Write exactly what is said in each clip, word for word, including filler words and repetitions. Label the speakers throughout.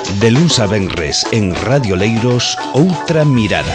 Speaker 1: De luns a venres en Radio Leiros, Outra Mirada.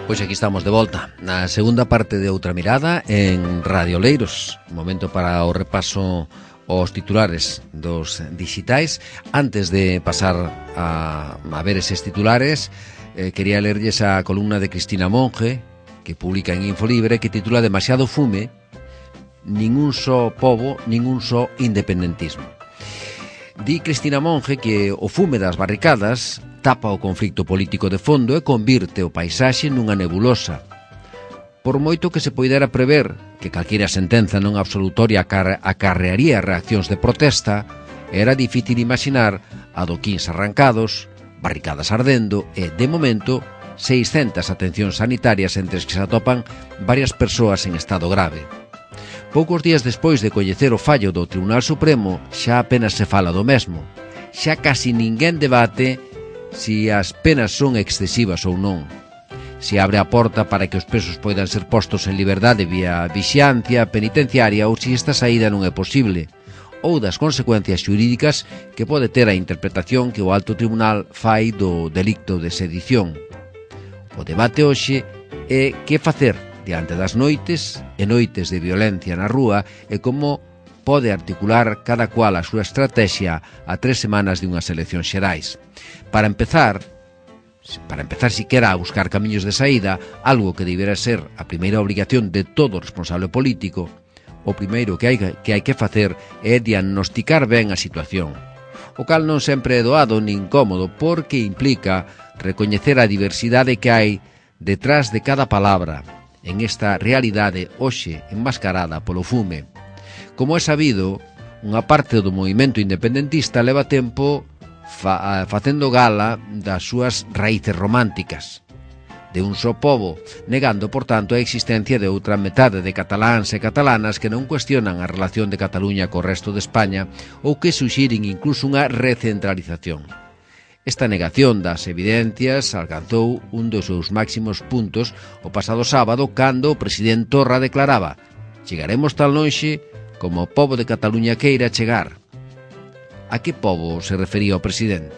Speaker 2: Pois aquí estamos de volta na segunda parte de Outra Mirada en Radio Leiros. Momento para o repaso aos titulares dos dixitais. Antes de pasar a, a ver eses titulares, eh, quería lerlles a columna de Cristina Monge, que publica en Infolibre, que titula Demasiado fume, nin un só pobo, nin un só independentismo. Di Cristina Monge que o fume das barricadas tapa o conflicto político de fondo e convirte o paisaxe nunha nebulosa. Por moito que se poidera prever que calquera sentenza non absolutoria acarrearía reaccións de protesta, era difícil imaginar adoquíns arrancados, barricadas ardendo e, de momento, seiscentas atencións sanitarias entre as que se atopan varias persoas en estado grave. Poucos días despois de coñecer o fallo do Tribunal Supremo, xa apenas se fala do mesmo. Xa casi ninguén debate si as penas son excesivas ou non. Se abre a porta para que os presos poidan ser postos en liberdade vía vixiancia penitenciaria ou si esta saída non é posible, ou das consecuencias xurídicas que pode ter a interpretación que o Alto Tribunal fai do delicto de sedición. O debate hoxe é que facer diante das noites e noites de violencia na rúa e como pode articular cada cual a súa estrategia a tres semanas de unhas eleccións xerais. Para empezar, para empezar siquera a buscar camiños de saída, algo que debera ser a primeira obrigación de todo responsable político, o primeiro que hai que, hai que facer é diagnosticar ben a situación, o cal non sempre é doado nin cómodo porque implica recoñecer a diversidade que hai detrás de cada palabra en esta realidade hoxe enmascarada polo fume. Como é sabido, unha parte do movimento independentista leva tempo fa, facendo gala das súas raíces románticas, de un só pobo, negando, por tanto, a existencia de outra metade de cataláns e catalanas que non cuestionan a relación de Cataluña co resto de España ou que suxiren incluso unha recentralización. Esta negación das evidencias alcanzou un dos seus máximos puntos o pasado sábado cando o presidente Torra declaraba: chegaremos tan lonxe como o pobo de Cataluña queira chegar. A que pobo se refería o presidente?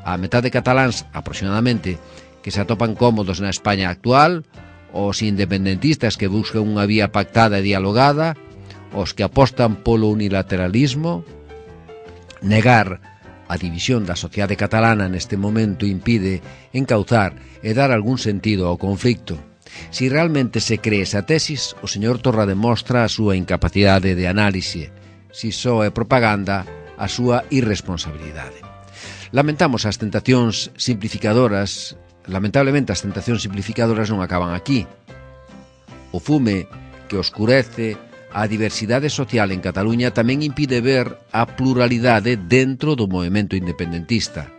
Speaker 2: A metade de cataláns, aproximadamente, que se atopan cómodos na España actual, os independentistas que buscan unha vía pactada e dialogada, os que apostan polo unilateralismo. Negar a división da sociedade catalana neste momento impide encauzar e dar algún sentido ao conflicto. Si realmente se cree esa tesis, o señor Torra demostra a súa incapacidade de análise. Si só é propaganda, a súa irresponsabilidade. Lamentamos as tentacións simplificadoras, lamentablemente as tentacións simplificadoras non acaban aquí. O fume que oscurece a diversidade social en Cataluña tamén impide ver a pluralidade dentro do movemento independentista.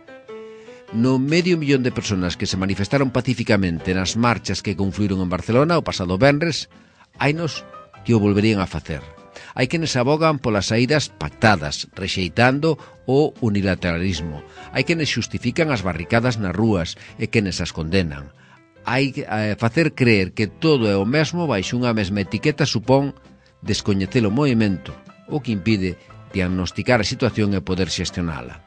Speaker 2: No medio millón de persoas que se manifestaron pacíficamente nas marchas que confluíron en Barcelona o pasado venres, hainos que o volverían a facer. Hai quenes abogan polas saídas pactadas, rexeitando o unilateralismo. Hai quenes xustifican as barricadas nas rúas e quenes as condenan. Hai que eh, facer creer que todo é o mesmo baixo unha mesma etiqueta supón descoñecer o movimento, o que impide diagnosticar a situación e poder xestionala.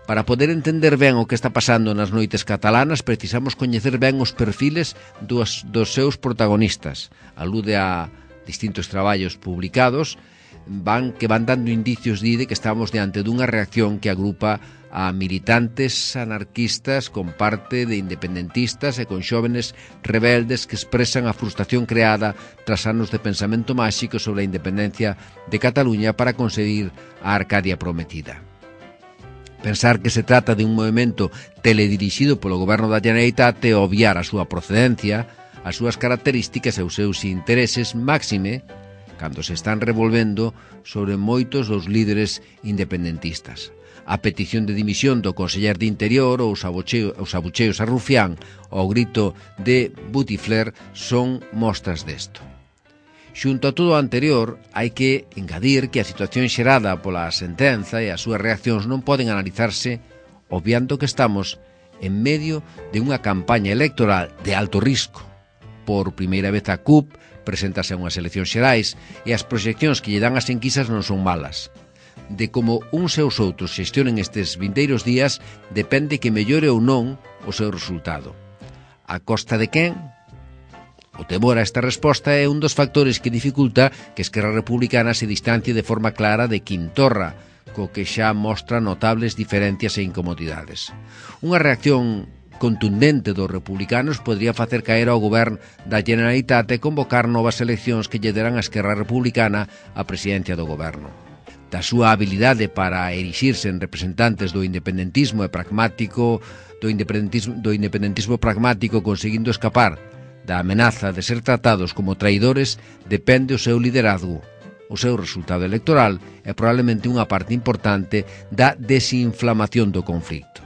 Speaker 2: Para poder entender ben o que está pasando nas noites catalanas, precisamos coñecer ben os perfiles dos, dos seus protagonistas. Alude a distintos traballos publicados van que van dando indicios de que estamos diante dunha reacción que agrupa a militantes anarquistas con parte de independentistas e con xóvenes rebeldes que expresan a frustración creada tras anos de pensamento máxico sobre a independencia de Cataluña para conseguir a Arcadia prometida. Pensar que se trata de un movimento teledirixido polo goberno da Generalitat é obviar a súa procedencia, as súas características e os seus intereses máxime cando se están revolvendo sobre moitos dos líderes independentistas. A petición de dimisión do conseller de Interior ou os abucheos a Rufián ou o grito de Bouteflers son mostras desto. Xunto a todo o anterior, hai que engadir que a situación xerada pola sentenza e as súas reaccións non poden analizarse obviando que estamos en medio de unha campaña electoral de alto risco. Por primeira vez a C U P presentase a unhas eleccións xerais e as proxeccións que lle dan as enquisas non son malas. De como uns e os outros xestionen estes vindeiros días depende que mellore ou non o seu resultado. A costa de quen? O temor a esta resposta é un dos factores que dificulta que Esquerra Republicana se distancie de forma clara de Quim Torra, co que xa mostra notables diferencias e incomodidades. Unha reacción contundente dos republicanos podría facer caer ao govern da Generalitat e convocar novas eleccións que lle deran a Esquerra Republicana a presidencia do goberno. Da súa habilidade para erixirse en representantes do independentismo e pragmático, do independentismo, do independentismo pragmático conseguindo escapar da amenaza de ser tratados como traidores, depende o seu liderazgo, o seu resultado electoral é probablemente unha parte importante da desinflamación do conflicto.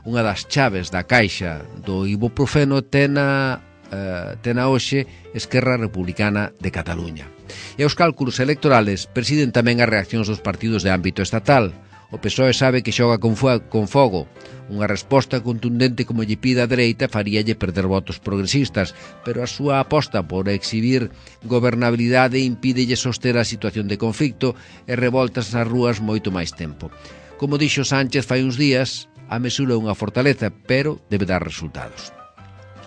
Speaker 2: Unha das chaves da caixa do ibuprofeno tena, uh, tena hoxe Esquerra Republicana de Cataluña. E os cálculos electorales presiden tamén as reaccións dos partidos de ámbito estatal. O P S O E sabe que xoga con, con fogo. Unha resposta contundente como lle pide a dereita faríalle perder votos progresistas, pero a súa aposta por exhibir gobernabilidade impídelle soster a situación de conflicto e revoltas nas rúas moito máis tempo. Como dixo Sánchez fai uns días, a mesura é unha fortaleza, pero debe dar resultados.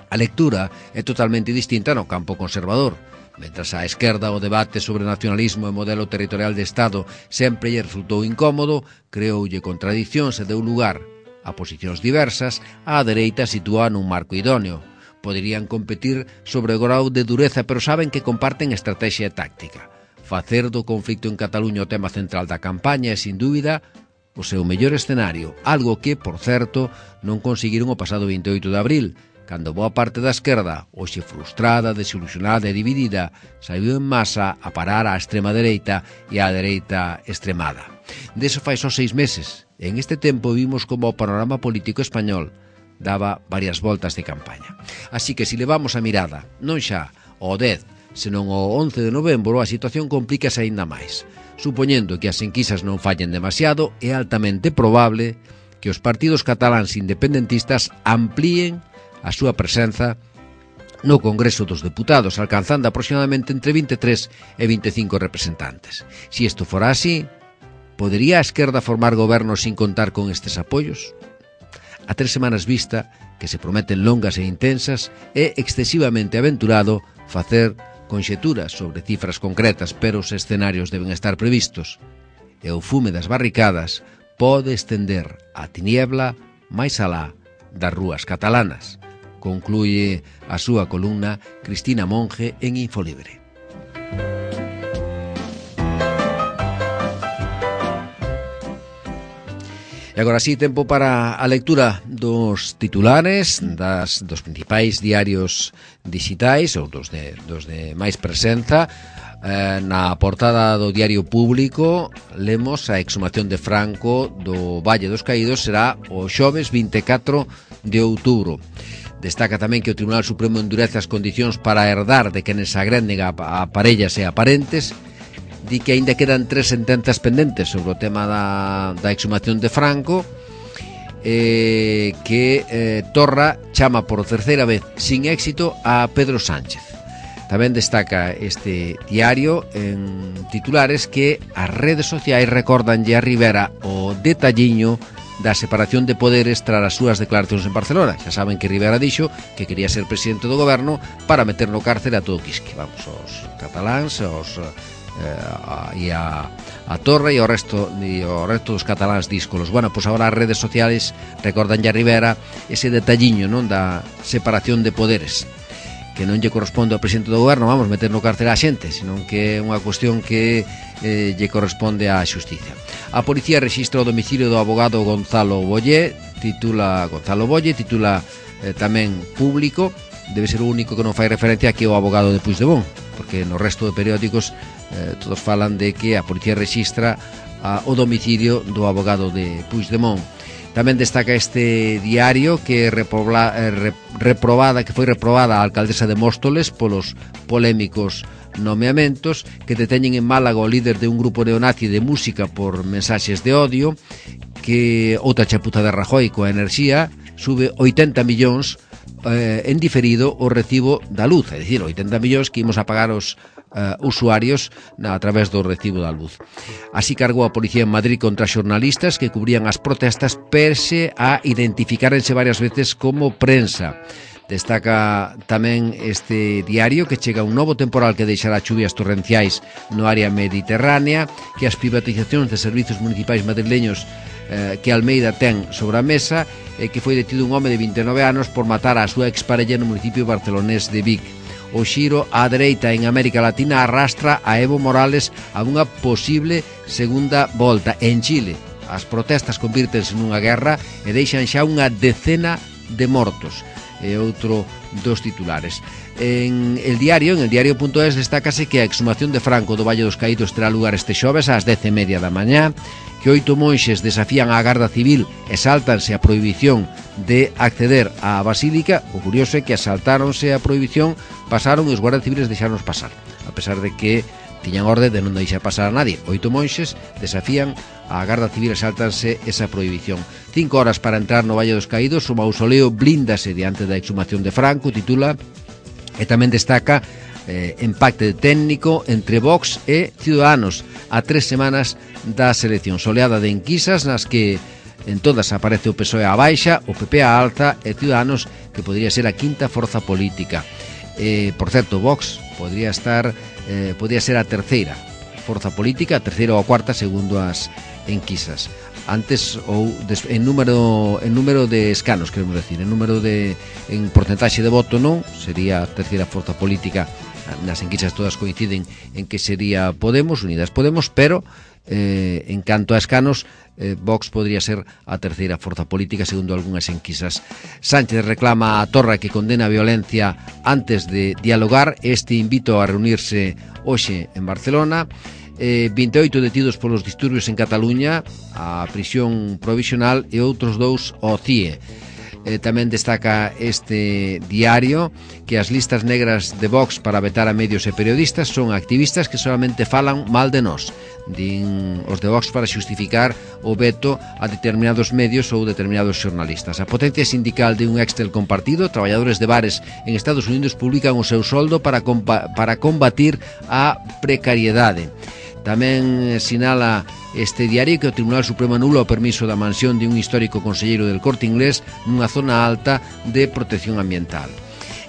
Speaker 2: A lectura é totalmente distinta no campo conservador. Mentras á esquerda o debate sobre nacionalismo e modelo territorial de Estado sempre lle resultou incómodo, creoulle contradicións e deu lugar a posicións diversas, á dereita sitúa nun marco idóneo. Poderían competir sobre o grau de dureza, pero saben que comparten estrategia e táctica. Facer do conflicto en Cataluña o tema central da campaña é, sin dúbida, o seu mellor escenario, algo que, por certo, non conseguiron o pasado vinte e oito de abril, cando boa parte da esquerda, hoxe frustrada, desilusionada e dividida, saiu en masa a parar á extrema dereita e á dereita extremada. Deso fai só seis meses. En este tempo vimos como o panorama político español daba varias voltas de campaña. Así que, se levamos a mirada, non xa ao dez, senón ao once de novembro, a situación complícase aínda máis. Supoñendo que as enquisas non fallen demasiado, é altamente probable que os partidos cataláns independentistas amplíen a súa presenza no Congreso dos Deputados, alcanzando aproximadamente entre vinte e tres e vinte e cinco representantes. Se isto fora así, podería a esquerda formar goberno sin contar con estes apoios? A tres semanas vista, que se prometen longas e intensas, é excesivamente aventurado facer conxeturas sobre cifras concretas, pero os escenarios deben estar previstos. E o fume das barricadas pode estender a tiniebla máis alá das rúas catalanas. Concluye a súa columna Cristina Monge en Infolibre. E agora sí, tempo para a lectura dos titulares das, dos principais diarios digitais ou dos de, dos de máis presenza. Eh, na portada do Diario Público lemos a exhumación de Franco do Valle dos Caídos será o xoves vinte e catro de outubro. Destaca tamén que o Tribunal Supremo endurece as condicións para herdar de quenes agrenden a, a parellas e a parentes. Di que aínda quedan tres sentenzas pendentes sobre o tema da, da exhumación de Franco, eh, que eh, Torra chama por terceira vez sin éxito a Pedro Sánchez. Tamén destaca este diario en titulares que as redes sociais recordanlle a Rivera o detalliño da separación de poderes tras as súas declaracións en Barcelona. Xa saben que Rivera dixo que quería ser presidente do goberno para meter no cárcere a todo Quisque. Vamos, os cataláns, os eh, e a, a Torre e o resto e o resto dos cataláns díscolos. Bueno, pois agora as redes sociales recordanlle a Rivera ese detalliño, non, da separación de poderes, que non lle corresponde ao presidente do goberno, vamos, meter no cárcere a xente, senón que é unha cuestión que eh, lle corresponde á xustiza. A policía rexistra o domicilio do abogado Gonzalo Bollé, titula Gonzalo Bollé, titula eh, tamén Público, debe ser o único que non fai referencia a que é o abogado de Puigdemont, porque no resto de periódicos eh, todos falan de que a policía rexistra a, o domicilio do abogado de Puigdemont. Tamén destaca este diario que repobla, eh, re, reprobada, que foi reprobada a alcaldesa de Móstoles polos polémicos nomeamentos, que deteñen en Málaga o líder de un grupo neonazi de música por mensaxes de odio, que outra chapuza de Rajoy coa enerxía, sube oitenta millóns eh, en diferido o recibo da luz, é dicir, oitenta millóns que imos a pagar os Uh, usuarios na, a través do recibo da luz. Así cargou a policía en Madrid contra xornalistas que cubrían as protestas perse a identificárense varias veces como prensa. Destaca tamén este diario que chega un novo temporal que deixará chuvias torrenciais no área mediterránea, que as privatizacións de servizos municipais madrileños eh, que Almeida ten sobre a mesa, e eh, que foi detido un home de vinte e nove anos por matar a súa exparella no municipio barcelonés de Vic. O xiro á dereita en América Latina arrastra a Evo Morales a unha posible segunda volta. En Chile, as protestas convírtense nunha guerra e deixan xa unha decena de mortos. É outro dos titulares. En el diario, en el diario punto es, destácase que a exhumación de Franco do Valle dos Caídos terá lugar este xoves ás dez e media da mañá, que oito monxes desafían á Garda Civil e sáltanse a prohibición de acceder á Basílica. O curioso é que asaltáronse a prohibición, pasaron e os guardas civiles deixaron pasar, a pesar de que tiñan orde de non deixar pasar a nadie. Oito monxes desafían a Garda Civil e sáltanse esa prohibición. Cinco horas para entrar no Valle dos Caídos, o mausoleo blíndase diante da exhumación de Franco, titula, e tamén destaca eh, empate técnico entre Vox e Ciudadanos a tres semanas das eleccións. Oleada de enquisas nas que en todas aparece o P S O E á baixa, o P P á alza e Ciudadanos, que podría ser a quinta forza política. Eh, por certo, Vox podría estar eh, podría ser a terceira forza política, a terceira ou a cuarta segundo as enquisas. Antes ou des, en número en número de escanos, queremos decir, en número de en porcentaxe de voto non, sería a terceira forza política. Nas enquisas todas coinciden en que sería Podemos, Unidas Podemos, pero eh, en canto a escanos, eh, Vox podría ser a terceira forza política segundo algunhas enquisas. Sánchez reclama a Torra que condena a violencia antes de dialogar. Este invito a reunirse hoxe en Barcelona. Eh, vinte e oito detidos polos disturbios en Cataluña, a prisión provisional, e outros dous ao C I E. Eh, tamén destaca este diario que as listas negras de Vox para vetar a medios e periodistas son activistas que solamente falan mal de nós. Din os de Vox para xustificar o veto a determinados medios ou determinados xornalistas. A potencia sindical de un Excel compartido, traballadores de bares en Estados Unidos publican o seu soldo para, para combatir a precariedade. Tamén sinala este diario que o Tribunal Supremo anula o permiso da mansión de un histórico conselleiro del Corte Inglés nunha zona alta de protección ambiental.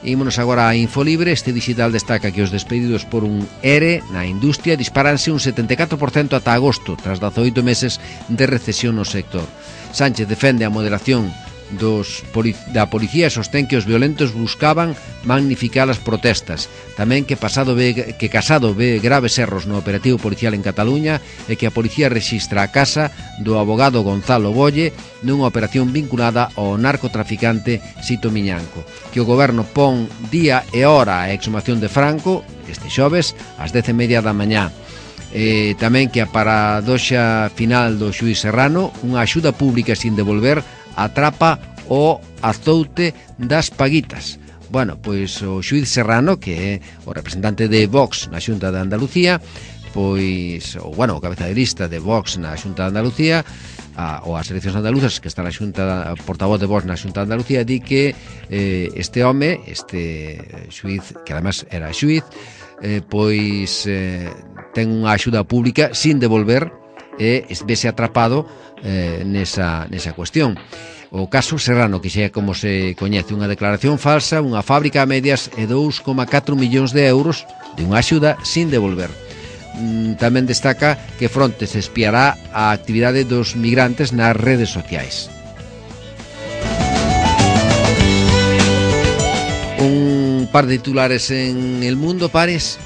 Speaker 2: Ímonos agora a Infolibre. Este digital destaca que os despedidos por un E R E na industria disparanse un setenta e catro por cento ata agosto, tras dezaoito meses de recesión no sector. Sánchez defende a moderación dos poli- da policía e sostén que os violentos buscaban magnificar as protestas. Tamén que pasado ve, que Casado ve graves erros no operativo policial en Cataluña e que a policía rexistra a casa do abogado Gonzalo Bolle nunha operación vinculada ao narcotraficante Sito Miñanco. Que o goberno pon día e hora a exhumación de Franco este xoves ás dez e media da mañá. E tamén que a paradoxa final do xuíz Serrano, unha axuda pública sin devolver, atrapa o azoute das paguitas. Bueno, pois o xuíz Serrano, que é o representante de Vox na Xunta de Andalucía, pois, o, bueno, o cabeza de lista de Vox na Xunta de Andalucía, a, ou as eleccións andaluzas, que está na Xunta, portavoz de Vox na Xunta de Andalucía, di que eh, este home, este xuíz, que además era xuíz, eh, pois eh, ten unha axuda pública sin devolver e vese atrapado eh, nesa, nesa cuestión. O caso Serrano, que xa é como se coñece, unha declaración falsa, unha fábrica a medias e dous coma catro millóns de euros de unha axuda sin devolver. Mm, tamén destaca que Frontes espiará a actividade dos migrantes nas redes sociais. Un par de titulares en El Mundo, Pares.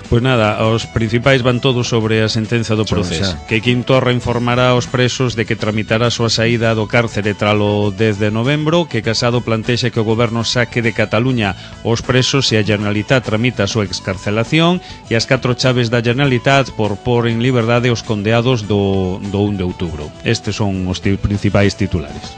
Speaker 3: Pois nada, os principais van todos sobre a sentenza do Procés. Que Quim Torra informará aos presos de que tramitará a súa saída do cárcere tralo dez de novembro, que Casado plantexa que o goberno saque de Cataluña os presos e a Generalitat tramita a súa excarcelación, e as catro chaves da Generalitat por por en liberdade os condeados do, do un de outubro. Estes son os principais titulares.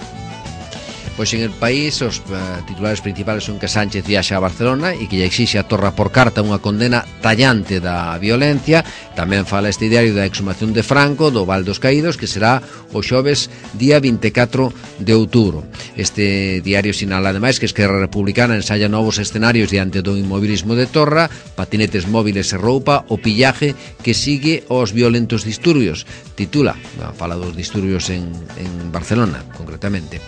Speaker 2: Pois en El País os uh, titulares principales son que Sánchez viaxa a Barcelona e que lle exixe a Torra por carta unha condena tallante da violencia. Tamén fala este diario da exhumación de Franco do Val dos Caídos, que será o xoves día vinte e catro de outubro. Este diario sinala ademais que Esquerra Republicana ensaya novos escenarios diante do inmobilismo de Torra, patinetes móviles e roupa, o pillaje que sigue aos violentos disturbios. Titula, fala dos disturbios en, en Barcelona, concretamente.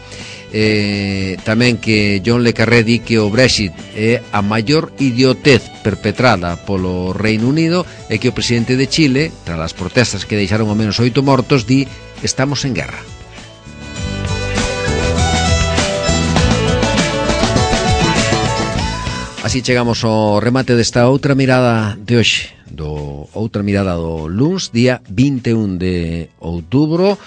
Speaker 2: Eh, tamén que John Le Carré di que o Brexit é a maior idiotez perpetrada polo Reino Unido e que o presidente de Chile, tras as protestas que deixaron ao menos oito mortos, di: estamos en guerra. Así chegamos ao remate desta outra mirada de hoxe, do outra mirada do luns, día vinte e un de outubro.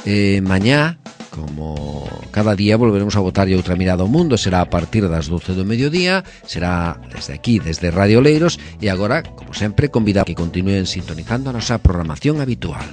Speaker 2: Eh, mañá, como cada día, volveremos a botar outra mirada ao mundo. Será a partir das doce do mediodía, será desde aquí, desde Radio Leiros, e agora, como sempre, convidamos que continúen sintonizando a nosa programación habitual.